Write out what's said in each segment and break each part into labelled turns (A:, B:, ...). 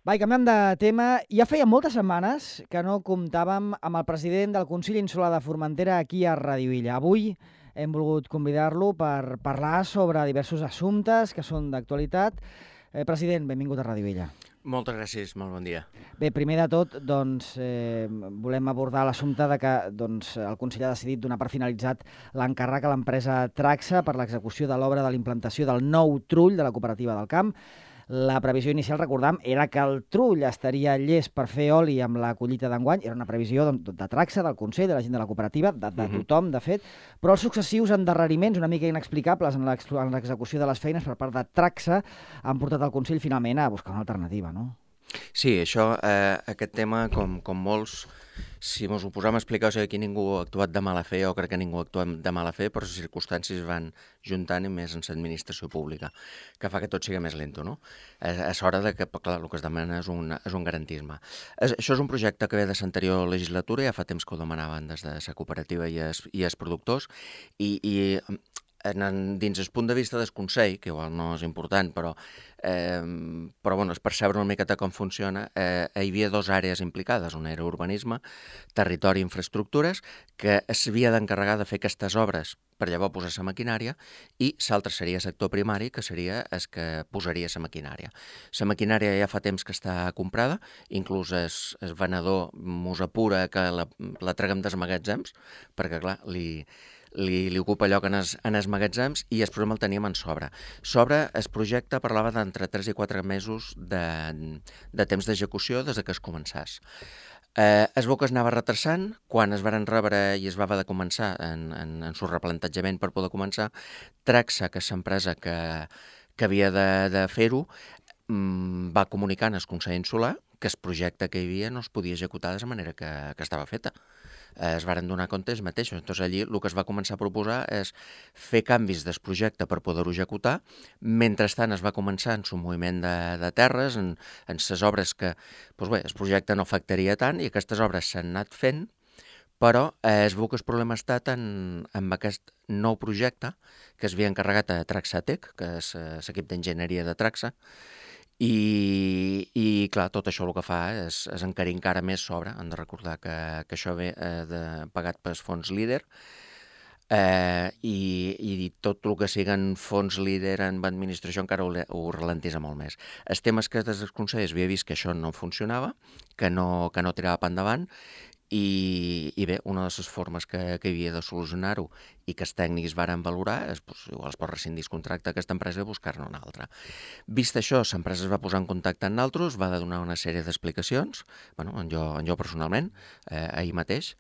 A: Va, i canviant de tema, ja feia moltes setmanes que no comptàvem amb el president del Consell Insular de Formentera aquí a Radio Illa. Avui hem volgut convidar-lo per parlar sobre diversos assumptes que són d'actualitat. President, benvingut a Radio Illa.
B: Moltes gràcies, molt bon dia.
A: Bé, primer de tot, volem abordar l'assumpte de que el Consell ha decidit donar per finalitzat l'encàrrec a l'empresa Traxa per l'execució de l'obra de l'implantació del nou trull de la cooperativa del camp. La previsió inicial, recordam, era que el trull estaria llest per fer oli amb la collita d'enguany. Era una previsió de Traxa, del Consell, de la gent de la cooperativa, de tothom, de fet. Però els successius endarreriments una mica inexplicables en l'execució de les feines per part de Traxa han portat el Consell finalment a buscar una alternativa, no?
B: Sí, aquest tema, com molts, si ens ho posem a explicar, o sigui, aquí ningú ha actuat de mala fe, o crec que ningú ha actuat de mala fe, però les circumstàncies van juntant i més en l'administració pública, que fa que tot sigui més lento, no? És hora que, clar, el que es demana és un garantisme. Això és un projecte que ve de l'anterior legislatura, ja fa temps que ho demanaven des de la cooperativa i els productors, i dins el punt de vista del Consell, que igual no és important, però bueno, és percebre una miqueta com funciona, hi havia dues àrees implicades, una era urbanisme, territori i infraestructures, que s'havia d'encarregar de fer aquestes obres per llavors posar la maquinària, i l'altre seria sector primari, que seria el que posaria la maquinària. La maquinària ja fa temps que està comprada, inclús el venedor mos apura que la traguem dels magatzems, perquè clar, li ocupa lloc en els magatzems, i el problema el teníem en sobre. Sobre el projecte parlava d'entre 3 i 4 mesos de temps d'execució des que es començés. Es veu que es anava retrasant. Quan es varen rebre i es va haver de començar en el replantejament per poder començar, Traxa, que és l'empresa que havia de fer-ho, va comunicar al Consell Insular que el projecte que hi havia no es podia executar de la manera que estava feta. Es varen donar compte ells mateixos. Llavors allí el que es va començar a proposar és fer canvis del projecte per poder-ho executar. Mentrestant es va començar en el moviment de terres, en les obres que el projecte no afectaria tant, i aquestes obres s'han anat fent, però es veu que el problema ha estat amb aquest nou projecte que es havia encarregat a Traxatec, que és l'equip d'enginyeria de Traxa, i clar, tot això el que fa és encarir encara més sobre. Han de recordar que això ve pagat pels fons líder, i tot el que siguen fons líder en administració encara ho ralentisa molt més. El tema és que des dels consells havia vist que això no funcionava, que no tirava per endavant, i bé, una de les formes que hi havia de solucionar-ho i que els tècnics varen valorar és, igual es pot rescindir el contracte d'aquesta empresa i buscar-ne una altra. Vist això, l'empresa es va posar en contacte amb nosaltres, va donar una sèrie d'explicacions, en jo personalment, ahir mateix,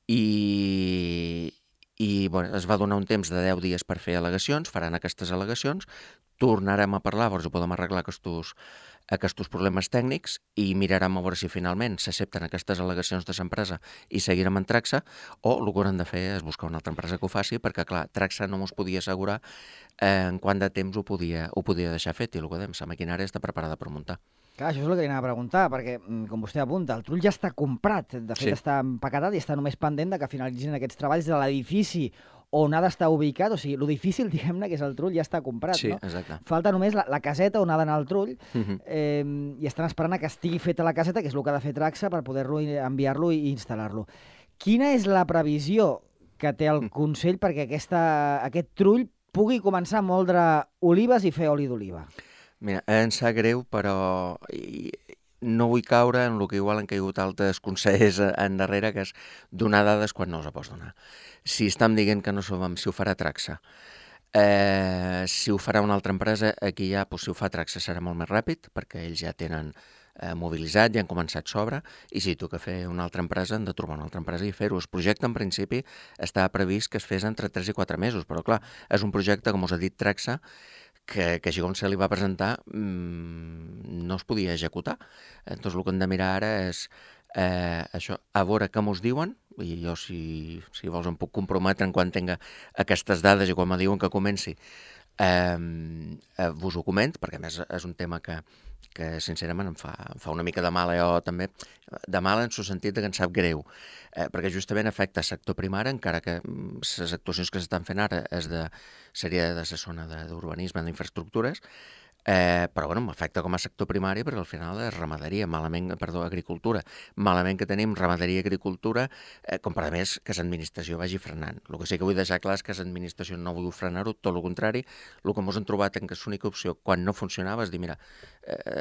B: i es va donar un temps de 10 dies per fer al·legacions, faran aquestes al·legacions, tornarem a parlar, llavors ho podem arreglar aquests problemes tècnics, i mirarem a veure si finalment s'accepten aquestes al·legacions de l'empresa i seguirem en Traxa, o el que haurem de fer és buscar una altra empresa que ho faci, perquè clar, Traxa no ens podia assegurar en quant de temps ho podia deixar fet, i el que dèiem, la maquinària està preparada per muntar.
A: Clar, això és el que li anava a preguntar, perquè, com vostè apunta, el trull ja està comprat, de fet està empaquetat i està només pendent de que finalitzin aquests treballs de l'edifici on ha d'estar ubicat. O sigui, el difícil, diguem-ne, que és el trull, ja està comprat,
B: sí,
A: no?
B: Exacte.
A: Falta només la caseta on ha d'anar el trull, i estan esperant que estigui feta la caseta, que és el que ha de fer Traxa, per poder-lo enviar-lo i instal·lar-lo. Quina és la previsió que té el Consell perquè aquest trull pugui començar a moldre olives i fer oli d'oliva?
B: Mira, em sap greu, però no vull caure en el que igual han caigut altres consells endarrere, que és donar dades quan no us pots donar. Si estem dient que no sabem si ho farà Traxa, si ho farà una altra empresa, aquí ja, si ho fa Traxa serà molt més ràpid, perquè ells ja tenen mobilitzat, ja han començat sobre, i si toca fer una altra empresa, han de trobar una altra empresa i fer-ho. El projecte, en principi, estava previst que es fes entre 3 i 4 mesos, però clar, és un projecte, com us ha dit Traxa, que així com se li va presentar no es podia executar. Llavors el que hem de mirar ara és això, a veure què mos diuen, i jo si vols em puc comprometre en quan tinga aquestes dades i quan me diuen que comenci vos ho comento, perquè a més és un tema que sincerament em fa una mica de mal, jo també, de mal en el sentit que em sap greu, perquè justament afecta el sector primari, encara que les actuacions que s'estan fent ara seria de la zona d'urbanisme, d'infraestructures, Però bueno, m'afecta com a sector primari perquè al final és ramaderia, agricultura. Malament que tenim ramaderia i agricultura, com per a més que l'administració vagi frenant. El que sí que vull deixar clar és que l'administració no vol frenar-ho, tot el contrari. El que ens hem trobat en que l'única opció quan no funcionava és dir, mira,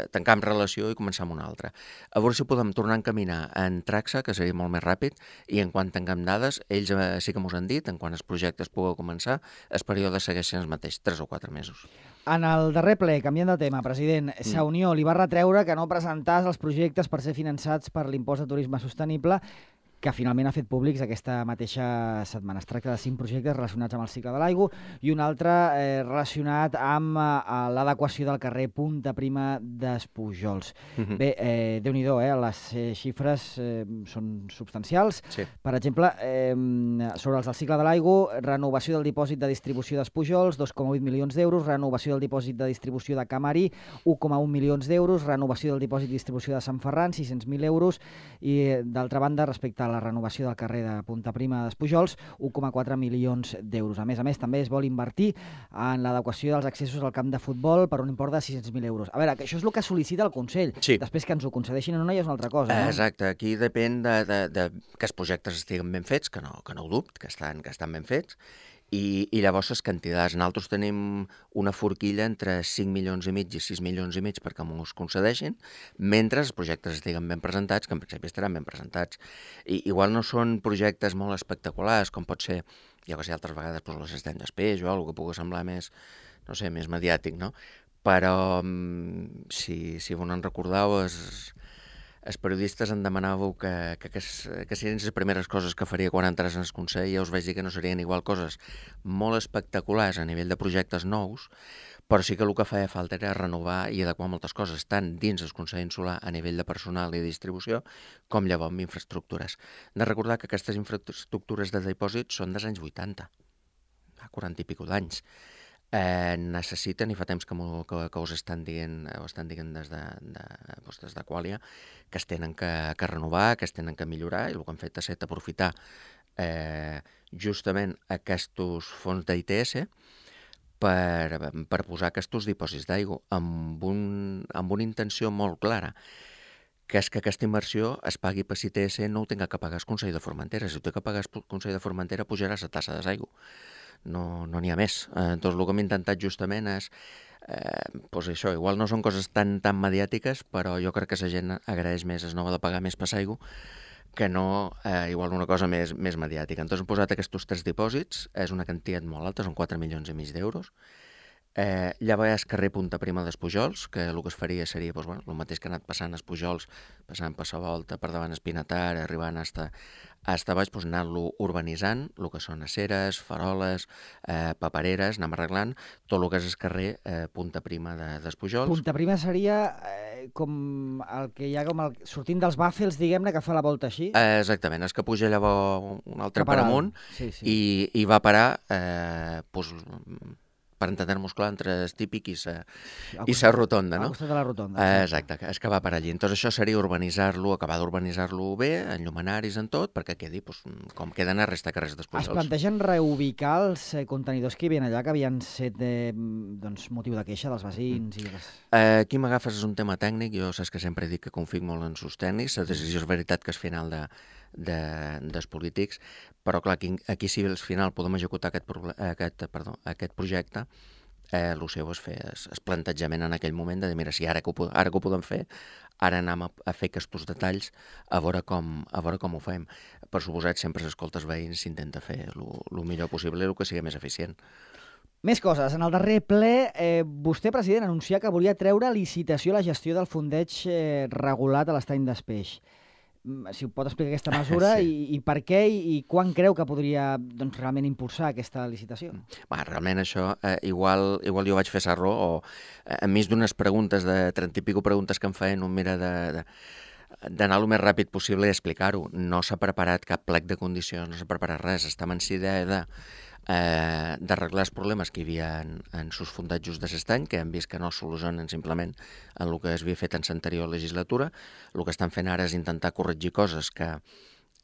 B: tancam relació i començar amb una altra. A veure si podem tornar a encaminar en Tracsa, que seria molt més ràpid, i en quant tinguem dades, ells sí que m'ho han dit, en quan els projectes pugui començar, el període segueix sent el mateix, 3 o 4 mesos.
A: En el darrer ple, canviant de tema, president, Sa Unió li va retreure que no presentàs els projectes per ser finançats per l'impost de turisme sostenible, que finalment ha fet públics aquesta mateixa setmana. Es tracta de 5 projectes relacionats amb el cicle de l'aigua i un altre relacionat amb l'adequació del carrer Punta Prima d'Espujols. Bé, Déu-n'hi-do, les xifres són substancials.
B: Sí.
A: Per exemple, sobre els del cicle de l'aigua, renovació del dipòsit de distribució d'Espujols, 2,8 milions d'euros, renovació del dipòsit de distribució de Camarí, 1,1 milions d'euros, renovació del dipòsit de distribució de Sant Ferran, 600.000 euros, i d'altra banda, respecte a la renovació del carrer de Punta Prima d'Espujols, 1,4 milions d'euros. A més, també es vol invertir en l'adequació dels accessos al camp de futbol per un import de 600.000 euros. A veure, que això és el que sol·licita el Consell.
B: Sí.
A: Després que ens ho concedeixin o no, ja és una altra cosa. No?
B: Exacte, aquí depèn de que els projectes estiguen ben fets, que no ho dubto, que estan ben fets, i llavors les quantitats. Nosaltres tenim una forquilla entre 5 milions i mig i 6 milions i mig perquè m'ho concedeixin, mentre els projectes estiguen ben presentats, que en principi estaran ben presentats. I igual no són projectes molt espectaculars, com pot ser, ja que sé, altres vegades doncs, l'Estany d'Espeix o alguna que pugui semblar més, no sé, més mediàtic, no? Però, si vos en recordeu, els periodistes em demanàveu que serien les primeres coses que faria quan entrés en el Consell, ja us vaig dir que no serien igual coses molt espectaculars a nivell de projectes nous, però sí que el que feia falta era renovar i adequar moltes coses, tant dins el Consell Insular a nivell de personal i distribució, com llavors amb infraestructures. Hem de recordar que aquestes infraestructures de dipòsit són dels anys 80, fa 40 i pico d'anys. Necessiten, i fa temps que us estan dient des de Qualia, que es tenen que renovar, que es tenen que millorar, i el que han fet ha estat aprofitar justament aquests fons d'ITS per posar aquests dipòsits d'aigua amb una intenció molt clara, que és que aquesta inversió es pagui per ITS, no ho tinga que pagar el Consell de Formentera. Si ho té que pagar el Consell de Formentera, pujarà la tassa d'aigua. No n'hi ha més. Doncs el que hem intentat justament és, doncs això, igual no són coses tan mediàtiques, però jo crec que la gent agraeix més el no de pagar més per l'aigua que no igual una cosa més mediàtica. Entonces hem posat aquests 3 dipòsits, és una quantitat molt alta, són 4 milions i mig d'euros. Llavors hi ha el carrer Punta Prima d'Espujols, que el que es faria seria el mateix que ha anat passant a Espujols, passant per la volta, per davant Espinatar, arribant fins baix, anar-lo urbanitzant, el que són aceres, faroles, papereres, anem arreglant tot el que és el carrer Punta Prima d'Espujols.
A: Punta Prima seria com el que hi ha sortint dels Bàfels, diguem-ne, que fa la volta així?
B: Exactament, és que puja llavors un altre per amunt i va parar per entendre-nos clar, entre el típic i la rotonda, no?
A: Al costat de la rotonda.
B: Exacte, és que va per allí. Entonces això seria urbanitzar-lo, acabar d'urbanitzar-lo bé, en llumanaris, en tot, perquè quedi com queden a resta carrers d'Espujols.
A: Es plantegen reubicar els contenidors que hi havia allà, que havien set motiu de queixa dels veïns?
B: Aquí m'agafes, és un tema tècnic, jo saps que sempre dic que confio molt en els tècnics, la decisió és veritat que és final dels polítics, però clar, aquí si al final podem executar aquest projecte, el seu és fer el plantejament en aquell moment de dir, mira, si ara que ho podem fer, ara anem a fer aquests detalls a veure com ho fem. Per suposat, sempre s'escolta els veïns, s'intenta fer el millor possible i el que sigui més eficient.
A: Més coses. En el darrer ple, vostè, president, anuncià que volia treure a licitació la gestió del fondeig regulat a l'Estany d'Espeix. Si ho pot explicar aquesta mesura, sí. I per què i quan creu que podria realment impulsar aquesta licitació?
B: Realment això, igual jo vaig fer error, o enmig d'unes preguntes, de 30 i pico preguntes que em feien, un mira d'anar el més ràpid possible i explicar-ho. No s'ha preparat cap plec de condicions, no s'ha preparat res. Estem en idea d'arreglar els problemes que hi havia en sus fondatges de l'estany, que hem vist que no es solucionen simplement en el que es havia fet en l'anterior legislatura. El que estan fent ara és intentar corregir coses que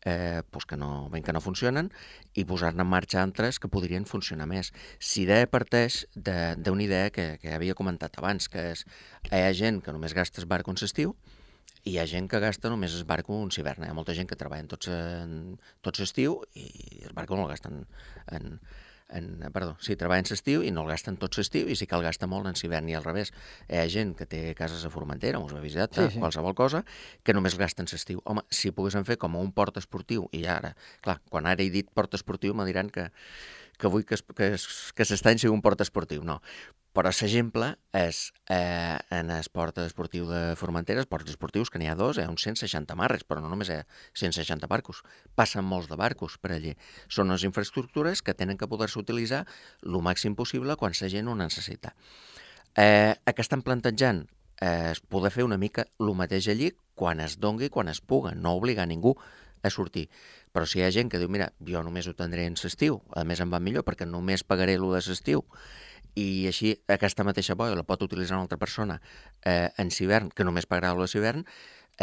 B: que no funcionen i posar-ne en marxa altres que podrien funcionar més. Si idea parteix d'una idea que havia comentat abans, que és hi ha gent que només gasta esbarco en l'estiu i hi ha gent que gasta només esbarco en hivern. Hi ha molta gent que treballa tot l'estiu i esbarco no el gasten treballen l'estiu i no el gasten tot l'estiu i sí que el gasta molt en hivern i al revés. Hi ha gent que té cases a Formentera, us ho he visitat, qualsevol cosa, que només el gasten l'estiu. Home, si poguéssim fer com un port esportiu, i ara, clar, quan ara he dit port esportiu me diran que vull que s'estany sigui un port esportiu. No. Però l'exemple és en el port esportiu de Formentera, els ports esportius, que n'hi ha dos, hi ha uns 160 marres, però no només hi ha 160 barcos. Passen molts de barcos per allí. Són unes infraestructures que tenen que poder-se utilitzar el màxim possible quan la gent ho necessita. Què estan plantejant? Es poder fer una mica el mateix allí quan es dongui, quan es puga, no obligar ningú a sortir. Però si hi ha gent que diu, mira, jo només ho tindré en l'estiu, a més em va millor perquè només pagaré el de l'estiu, i així aquesta mateixa boia la pot utilitzar una altra persona en hivern, que només pagarà el de l'hivern,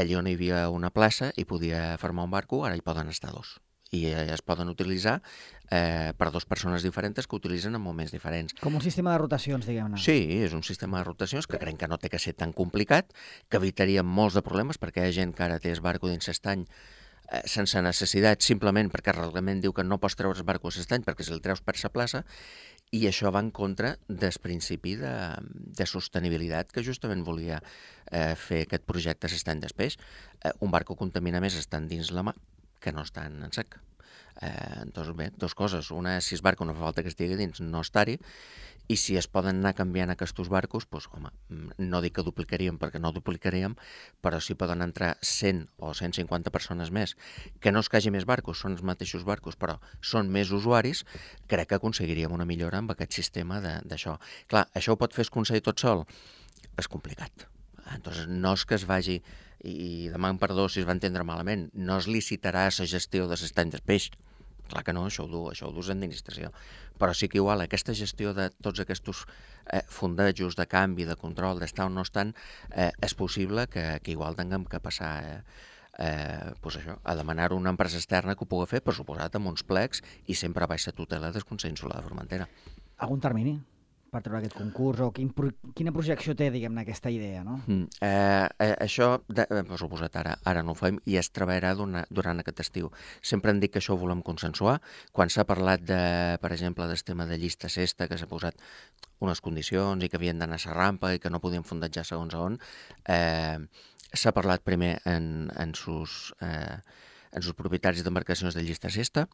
B: allí on hi havia una plaça i podia formar un barco, ara hi poden estar dos. I es poden utilitzar per dues persones diferents que utilitzen en moments diferents.
A: Com un sistema de rotacions, diguem-ne.
B: Sí, és un sistema de rotacions que crec que no té que ser tan complicat, que evitaria molts de problemes, perquè hi ha gent que ara té el barco dins l'estany sense necessitat, simplement perquè el reglament diu que no pots treure el barco a l'estany perquè si el treus per la plaça, i això va en contra del principi de sostenibilitat que justament volia fer aquest projecte l'estany d'Espeix. Un barco contamina més estant dins la mà que no estant en sec. Doncs bé, dues coses. Una és si el barco no fa falta que estigui dins, no estar-hi, i si es poden anar canviant aquests barcos, doncs, home, no dic que duplicaríem perquè no duplicaríem, però si poden entrar 100 o 150 persones més, que no es que hagi més barcos, són els mateixos barcos, però són més usuaris, crec que aconseguiríem una millora amb aquest sistema d'això. Clar, això ho pot fer el Consell tot sol? És complicat. Entonces, no és que es vagi, i deman perdó si es va entendre malament, no es licitarà la gestió de l'estany d'Espeix. Clar que no, això ho dus l'administració. Però sí que igual aquesta gestió de tots aquests fondejos de canvi, de control, d'estar o no estan, és possible que igual tinguem que passar a demanar una empresa externa que ho pugui fer, per suposat, amb uns plecs i sempre baix la tutela del Consell Insular de Formentera.
A: Algun termini per treure aquest concurs o quina projecció té, diguem-ne, aquesta idea, no?
B: Això, per suposat, ara no ho fem i es treballarà durant aquest estiu. Sempre hem dit que això ho volem consensuar. Quan s'ha parlat, per exemple, del tema de llista cesta, que s'ha posat unes condicions i que havien d'anar a la rampa i que no podien fondejar segons on, s'ha parlat primer en sus propietaris d'embarcacions de llista cesta,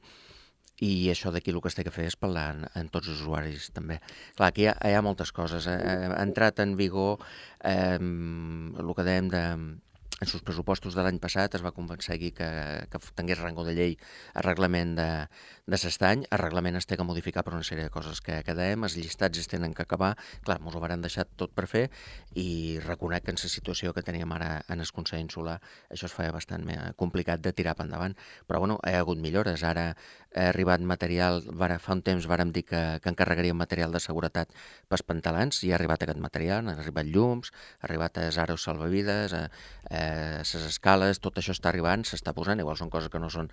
B: i això d'aquí el que es té que fer és parlar en tots els usuaris també. Clar, aquí hi ha moltes coses. Ha entrat en vigor el que dèiem en els pressupostos de l'any passat es va aconseguir que tingués rango de llei el reglament de l'estany. El reglament es té que modificar per una sèrie de coses que dèiem, els llistats es tenen que acabar. Clar, ens ho varen deixar tot per fer i reconec que en la situació que teníem ara en el Consell Insular això es feia bastant complicat de tirar per endavant. Però bueno, hi ha hagut millores. Ara ha arribat material, fa un temps vàrem dir que encarregaríem material de seguretat pels pantalans i ha arribat aquest material, han arribat llums, ha arribat els aros salvavides, les escales, tot això està arribant, s'està posant, igual són coses que no són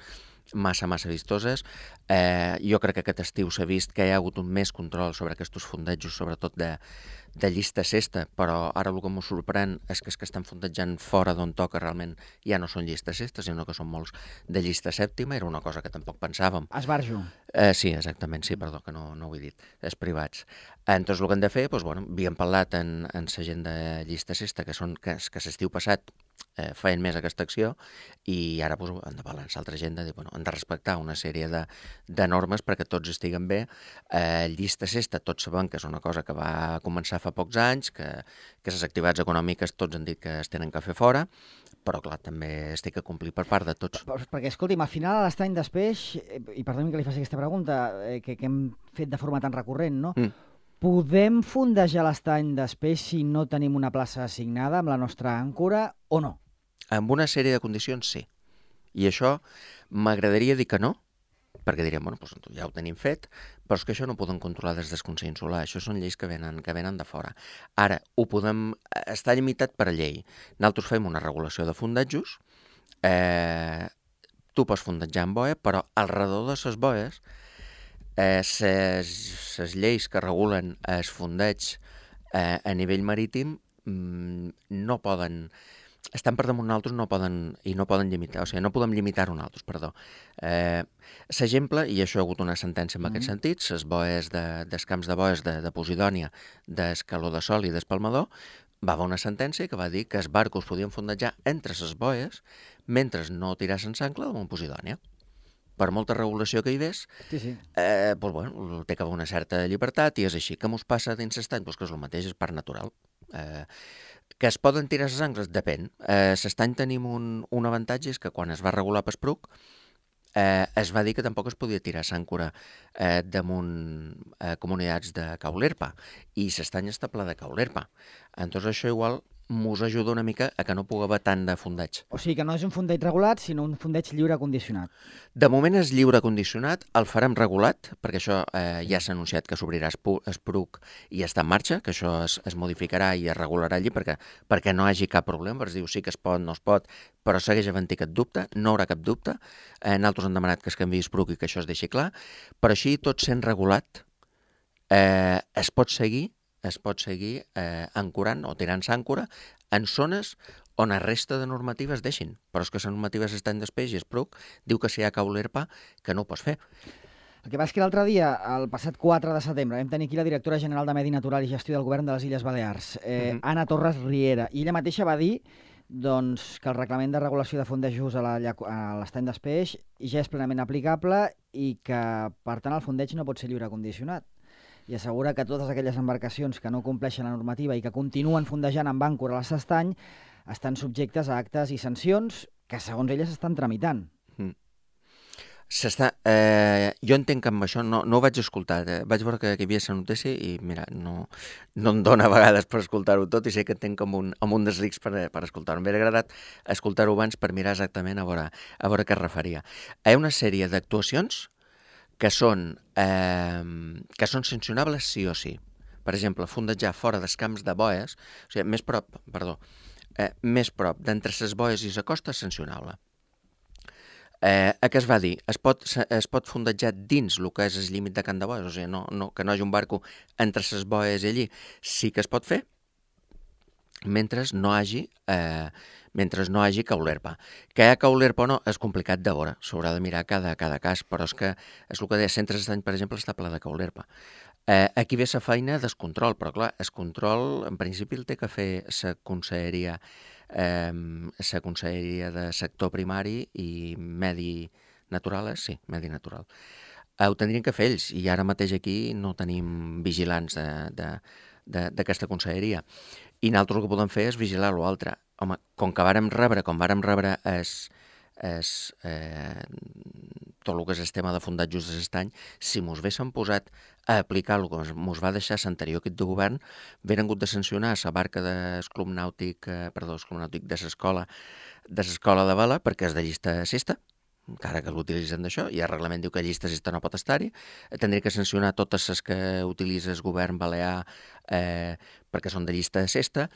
B: massa vistoses. Jo crec que aquest estiu s'ha vist que hi ha hagut un més control sobre aquests fondejos, sobretot de llista cesta, però ara el que m'ho sorprèn és que estan fondejant fora d'on toca realment ja no són llista cesta, sinó que són molts de llista sèptima, era una cosa que tampoc pensàvem.
A: Esbarjo.
B: Sí, exactament, sí, perdó, que no ho he dit, és privats. Entonces, el que hem de fer, doncs, bueno, havíem parlat en la gent de llista cesta, que l'estiu passat feien més aquesta acció i ara doncs, hem de parlar amb l'altra gent de dir, bueno, hem de respectar una sèrie de normes perquè tots estiguen bé. Llista cesta, tots sabem que és una cosa que va començar fa pocs anys, que les activitats econòmiques tots han dit que es tenen que fer fora, però clar, també es té que complir per part de tots.
A: Perquè, escolti'm, al final a l'estany d'Espeix, i perdoni que li faci aquesta pregunta, que hem fet de forma tan recurrent, no? Podem fondejar l'estany d'Espeix si no tenim una plaça assignada amb la nostra àncora o no?
B: Amb una sèrie de condicions, sí. I això m'agradaria dir que no, perquè diríem, bueno, doncs ja ho tenim fet, però és que això no ho podem controlar des del Consell Insular, això són lleis que venen de fora. Ara, ho podem estar limitat per llei. Nosaltres fem una regulació de fondejos, tu pots fondejar amb boia, però al redor de les boies, les lleis que regulen el fondeig a nivell marítim no poden, estan per damunt nosaltres, no poden limitar, o sigui, no podem limitar-ho nosaltres, perdó. L'exemple, i això hi ha hagut una sentència en aquest sentit, les boies dels camps de boies de Posidònia, d'Escaló de Sol i d'Espalmador, va haver una sentència que va dir que els barcos podien fondejar entre les boies mentre no tirassin s'ancla damunt Posidònia. Per molta regulació que hi hagués, doncs, bueno, té que haver una certa llibertat i és així. Què mos passa dins l'estany? Doncs que és el mateix, és part natural. Que es poden tirar les angles? Depèn. L'estany tenim un avantatge, és que quan es va regular per Espruc, es va dir que tampoc es podia tirar s'àncora damunt comunitats de caulerpa, i l'estany està ple de caulerpa. Entonces això igual mos ajuda una mica a que no pugui haver tant de fondeig.
A: O sigui que no és un fondeig regulat, sinó un fondeig lliure condicionat.
B: De moment és lliure condicionat, el farem regulat, perquè això ja s'ha anunciat que s'obrirà Espruc i està en marxa, que això es modificarà i es regularà allí perquè no hi hagi cap problema, es diu sí que es pot, no es pot, però segueix havent-hi aquest dubte, no haurà cap dubte. Nosaltres hem demanat que es canviï Espruc i que això es deixi clar, però així tot sent regulat es pot seguir ancorant o tirant s'àncora en zones on la resta de normatives deixin. Però és que les normatives estan després i Espruc diu que si hi ha caulerpa que no ho pots fer.
A: El que passa és que l'altre dia, el passat 4 de setembre, vam tenir aquí la directora general de Medi Natural i Gestió del Govern de les Illes Balears, Anna Torres Riera, i ella mateixa va dir doncs, que el reglament de regulació de fondejos a l'estany d'Espeix ja és plenament aplicable i que, per tant, el fondeig no pot ser lliure condicionat. I assegura que totes aquelles embarcacions que no compleixen la normativa i que continuen fondejant amb àncora a l'estany estan subjectes a actes i sancions que, segons elles, estan tramitant.
B: Jo entenc que amb això no ho vaig escoltar. Vaig veure que hi havia la notícia i, mira, no em dóna a vegades per escoltar-ho tot i sé que entenc com un dels rics per escoltar-ho. M'hauria agradat escoltar-ho abans per mirar exactament a veure què es referia. Hi ha una sèrie d'actuacions que són sancionables sí o sí. Per exemple, fondejar fora dels camps de boies, o sigui, més prop d'entre les boies i la costa és sancionable. Què es va dir? Es pot fondejar dins el que és el límit de camp de boies, o sigui, que no hi hagi un barco entre les boies i allí. Sí que es pot fer, mentre no hi hagi caulerpa. Que hi ha caulerpa o no és complicat de veure, s'haurà de mirar cada cas, però és que és el que deia, Centres d'Estany, per exemple, està ple de caulerpa. Aquí ve la feina del control, però clar, el control en principi el té que fer la conselleria de sector primari i medi natural, medi natural. Ho tindrien que fer ells, i ara mateix aquí no tenim vigilants d'aquesta conselleria. I nosaltres el que podem fer és vigilar l'altre. Home, com vàrem rebre tot el que és el tema de fondejos de l'estany, si mos haguéssim posat a aplicar el que mos va deixar l'anterior equip de govern, hagueren hagut de sancionar la barca del Club Nàutic de l'escola de vela, perquè és de llista cesta, encara que l'utilitzen d'això, i el reglament diu que llista cesta no pot estar-hi, tindria que sancionar totes les que utilitza el govern balear perquè són de llista cesta.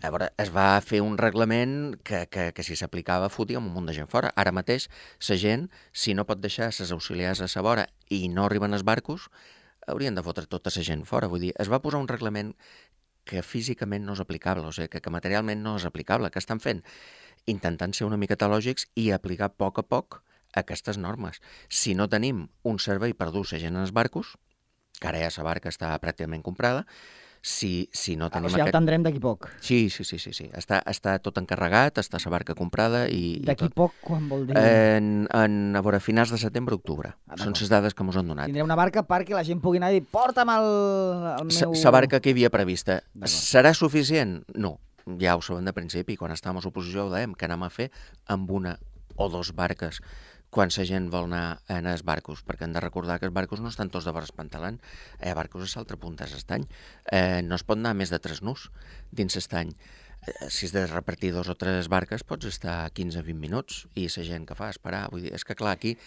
B: A veure, es va fer un reglament que si s'aplicava fotíem un munt de gent fora. Ara mateix, la gent, si no pot deixar les auxiliars a la vora i no arriben els barcos, haurien de fotre tota la gent fora. Vull dir, es va posar un reglament que físicament no és aplicable, o sigui, que materialment no és aplicable. Què estan fent? Intentant ser una miqueta lògics i aplicar a poc aquestes normes. Si no tenim un servei per dur la gent en els barcos, que ara ja la barca està pràcticament comprada, si no tenim...
A: O sigui, el tindrem d'aquí poc.
B: Sí. Està tot encarregat, està la barca comprada i...
A: D'aquí poc, quan vol dir?
B: A veure, finals de setembre-octubre. Són les dades que ens han donat.
A: Tindré una barca perquè la gent pugui anar i dir porta'm el meu...
B: La barca que hi havia prevista. Serà suficient? No. Ja ho sabem de principi, quan estàvem a l'oposició ho dèiem, que anem a fer amb una o dos barques quan la gent vol anar en els barcos, perquè hem de recordar que els barcos no estan tots de vora espantalant. Hi ha barcos a l'altre punt de l'estany. No es pot anar més de 3 nus dins l'estany. Si has de repartir 2 o 3 barques pots estar 15-20 minuts i la gent que fa esperar. Vull dir, és que clar, aquí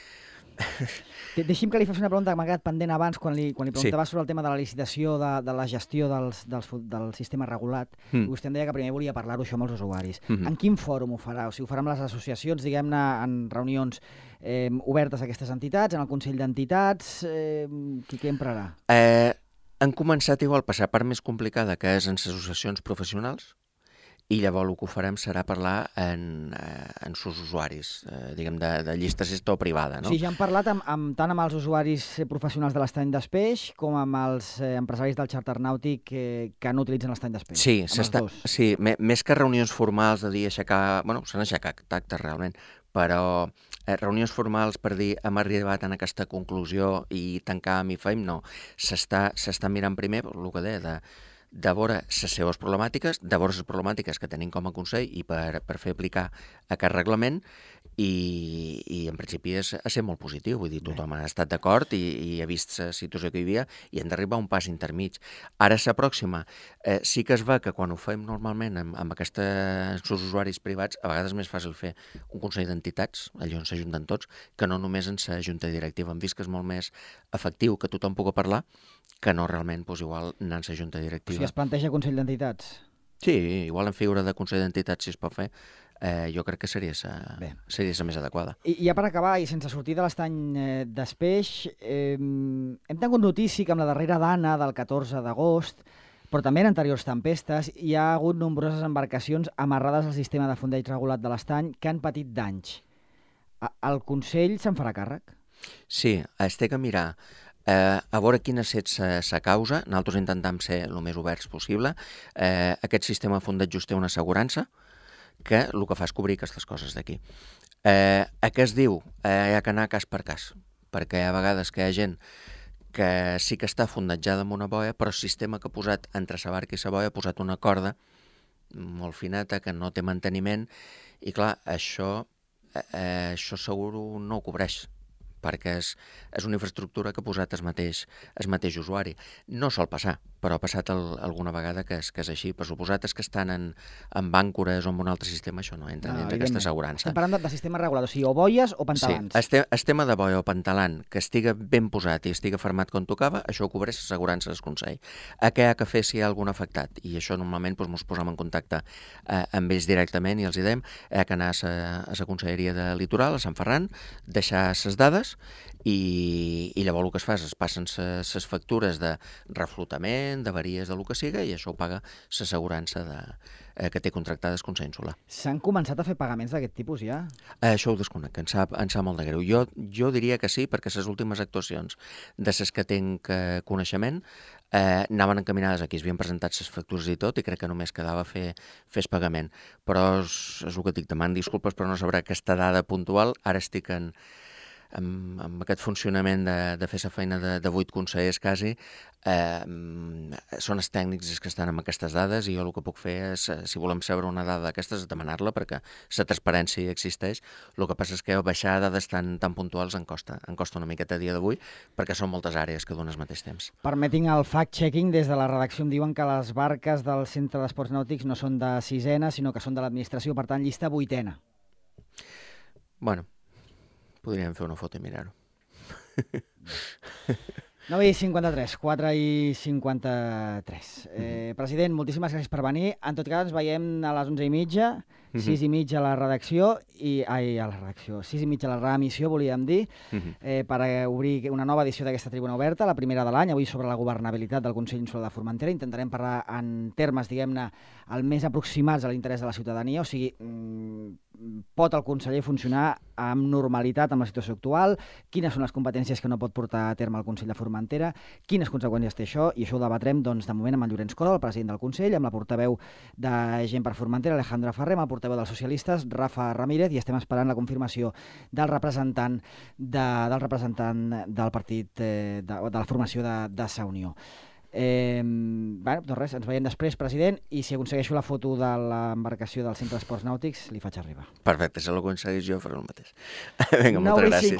A: Deixi'm que li faci una pregunta que m'ha quedat pendent abans quan li preguntava sobre el tema de la licitació, de la gestió del sistema regulat. I vostè em deia que primer volia parlar-ho això amb els usuaris. En quin fòrum ho farà? O sigui, ho farà amb les associacions, diguem-ne, en reunions obertes a aquestes entitats, en el Consell d'Entitats? Què emprarà?
B: Han començat igual per la part més complicada, que és en les associacions professionals, i llavors el que ho farem serà parlar en sus usuaris, diguem, de llista gestió privada. No?
A: O sigui, ja han parlat tant amb els usuaris professionals de l'estany d'Espeix com amb els empresaris del xàrter nàutic que no utilitzen l'estany d'Espeix.
B: Sí, més que reunions formals de dir aixecar... Bueno, s'han aixecat actes realment, però reunions formals per dir hem arribat a aquesta conclusió i tancar amb IFEM, no. S'està mirant primer el que deia, de veure les seves problemàtiques, de veure les problemàtiques que tenim com a Consell i per fer aplicar aquest reglament i en principi ha ser molt positiu, vull dir, tothom ha estat d'acord i ha vist la situació que hi havia i hem d'arribar a un pas intermig. Ara la pròxima, sí que es va que quan ho fem normalment amb aquests usuaris privats, a vegades és més fàcil fer un Consell d'Entitats, allà on s'ajunten tots, que no només en la Junta Directiva. Hem vist que és molt més efectiu que tothom pugui parlar que no realment, doncs, igual anar a la Junta Directiva.
A: O sigui, es planteja Consell d'Entitats?
B: Sí, igual en figura de Consell d'Entitats, si es pot fer, jo crec que seria la més adequada.
A: I ja per acabar, i sense sortir de l'estany d'Espeix, hem tingut notícia que amb la darrera dana del 14 d'agost, però també en anteriors tempestes, hi ha hagut nombroses embarcacions amarrades al sistema de fondeig regulat de l'estany que han patit danys. El Consell se'n farà càrrec?
B: Sí, es té que mirar a veure quina ha estat la causa. Nosaltres intentem ser el més oberts possible. Aquest sistema de fondeig just té una assegurança que el que fa és cobrir aquestes coses d'aquí. A què es diu? Hi ha que anar cas per cas, perquè hi ha vegades que hi ha gent que sí que està fondejada amb una boia, però el sistema que ha posat entre la barca i la boia ha posat una corda molt fineta que no té manteniment i clar, això segur no ho cobreix, perquè és una infraestructura que ha posat el mateix usuari. No sol passar, però ha passat alguna vegada que és així. Per suposat és que estan en bàncores o en un altre sistema, això no entra dins d'aquesta assegurança.
A: Estem parlant de sistema regulat, o sigui, o boies o pantalans.
B: Sí, el tema de boia o pantalant que estiga ben posat i estiga fermat com tocava, això ho cobreix l'assegurança del Consell. A què ha que fer si hi ha algun afectat? I això normalment ens posem en contacte amb ells directament i els diem que anar a la Conselleria de Litoral, a Sant Ferran, deixar les dades i llavors el que es fa és es passen les factures de reflotament, d'avaries, del que siga, i això ho paga l'assegurança que té contractada el Consell Insular.
A: S'han començat a fer pagaments d'aquest tipus ja?
B: Això ho desconec, em sap molt de greu. Jo diria que sí, perquè les últimes actuacions de les que tinc coneixement anaven encaminades aquí, es havien presentat les factures i tot, i crec que només quedava fer el pagament. Però és el que dic, deman disculpes, però no sabrà aquesta dada puntual. Ara estic amb aquest funcionament de fer la feina de 8 consellers quasi, són els tècnics que estan amb aquestes dades i jo el que puc fer és, si volem saber una dada d'aquestes, demanar-la perquè la transparència existeix. El que passa és que baixar dades tan puntuals em costa una miqueta a dia d'avui perquè són moltes àrees que donen al mateix temps.
A: Permetin el fact-checking, des de la redacció em diuen que les barques del Centre d'Esports Nàutics no són de 6ena, sinó que són de l'administració, per tant, llista 8ena.
B: Bueno, podríem fer una foto i mirar-ho.
A: 9:53, 4:53. President, moltíssimes gràcies per venir. En tot cas, ens veiem a les 11:30, 6:30 a la redacció, 6:30 a la reemissió, volíem dir, per obrir una nova edició d'aquesta tribuna oberta, la primera de l'any, avui sobre la governabilitat del Consell Insular de Formentera. Intentarem parlar en termes, diguem-ne, el més aproximats a l'interès de la ciutadania, o sigui, pot el conseller funcionar amb normalitat amb la situació actual, quines són les competències que no pot portar a terme el Consell de Formentera, quines conseqüències té això, i això ho debatrem, doncs, de moment amb en Llorenç Cora, el president del Consell, amb la portaveu de Gent per Formentera, Alejandra Ferrer, amb el portaveu dels socialistes, Rafa Ramírez, i estem esperant la confirmació del representant del partit, de la formació de Sa Unió. Doncs res, ens veiem després, president, i si aconsegueixo la foto de l'embarcació del Centre d'Esports Nàutics, li faig arribar.
B: Perfecte, si l'aconsegueix jo faré el mateix. Vinga, moltes gràcies.